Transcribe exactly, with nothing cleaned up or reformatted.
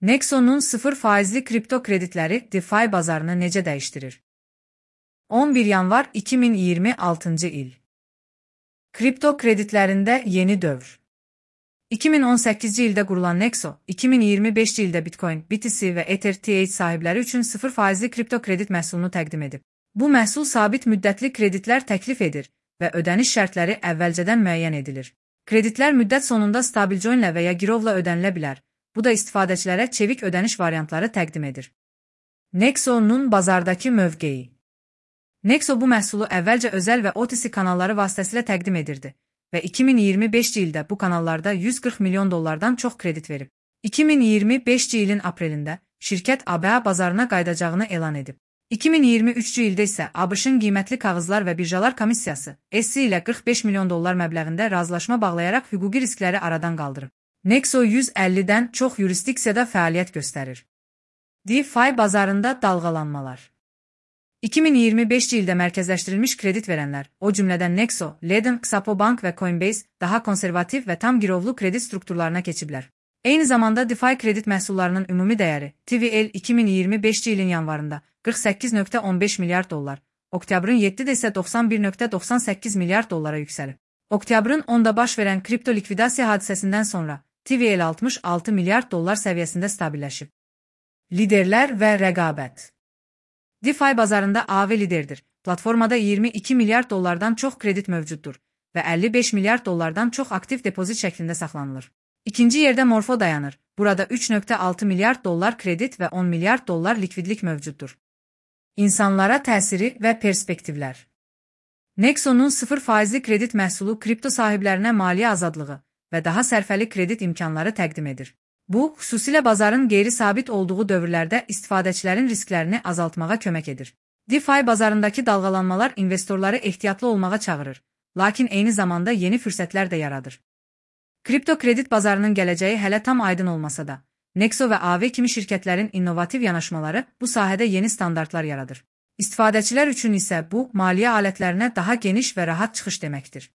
Nexo'nun sıfır faizli kripto kreditleri DeFi bazarını necə dəyişdirir? on bir yanvar iki min iyirmi altıncı il. Kripto kreditlərində yeni dövr. iki min on səkkizci ildə qurulan Nexo, iki min iyirmi beşci ildə Bitcoin, B T C və Ether T H sahibləri üçün sıfır faizli kripto kredit məhsulunu təqdim edib. Bu məhsul sabit müddətli kreditlər təklif edir və ödəniş şərtləri əvvəlcədən müəyyən edilir. Kreditlər müddət sonunda stabil coinlə və ya girovla ödənilə bilər. Bu da istifadəçilərə çevik ödəniş variantları təqdim edir. Nexo'nun bazardakı mövqeyi. Nexo bu məhsulu əvvəlcə özəl və O T C kanalları vasitəsilə təqdim edirdi və iki min iyirmi beşci ildə bu kanallarda yüz qırx milyon dollardan çox kredit verib. iki min iyirmi beşci ilin aprelində şirkət A B A bazarına qayıdacağını elan edib. iki min iyirmi üçcü ildə isə ABŞ-ın qiymətli kağızlar və birjalar komissiyası S E C ilə qırx beş milyon dollar məbləğində razılaşma bağlayaraq hüquqi riskləri aradan qaldırıb. Nexo yüz əllidən çox yurisdiksiyada fəaliyyət göstərir. DeFi bazarında dalğalanmalar. iki min iyirmi beşci ildə mərkəzləşdirilmiş kredit verənlər, o cümlədən Nexo, Ledn, Xapo Bank və Coinbase daha konservativ və tam girovlu kredit strukturlarına keçiblər. Eyni zamanda DeFi kredit məhsullarının ümumi dəyəri T V L iki min iyirmi beşci ilin yanvarında qırx səkkiz nöqtə on beş milyard dollar, oktyabrın yeddisində isə doxsan bir nöqtə doxsan səkkiz milyard dollara yüksəlib. Oktyabrın onunda baş verən kripto likvidasiya hadisəsindən sonra T V L altmış altı milyard dollar səviyyəsində stabilləşib. Liderlər və rəqabət. DeFi bazarında A V liderdir. Platformada iyirmi iki milyard dollardan çox kredit mövcuddur və əlli beş milyard dollardan çox aktiv depozit şəklində saxlanılır. İkinci yerdə Morpho dayanır. Burada üç nöqtə altı milyard dollar kredit və on milyard dollar likvidlik mövcuddur. İnsanlara təsiri və perspektivlər. Nexo'nun sıfır faizli kredit məhsulu kripto sahiblərinə maliyyə azadlığı və daha sərfəli kredit imkanları təqdim edir. Bu, xüsusilə bazarın qeyri-sabit olduğu dövrlərdə istifadəçilərin risklərini azaltmağa kömək edir. DeFi bazarındakı dalğalanmalar investorları ehtiyatlı olmağa çağırır, lakin eyni zamanda yeni fürsətlər də yaradır. Kripto kredit bazarının gələcəyi hələ tam aydın olmasa da, Nexo və A V kimi şirkətlərin innovativ yanaşmaları bu sahədə yeni standartlar yaradır. İstifadəçilər üçün isə bu, maliyyə alətlərinə daha geniş və rahat çıxış deməkdir.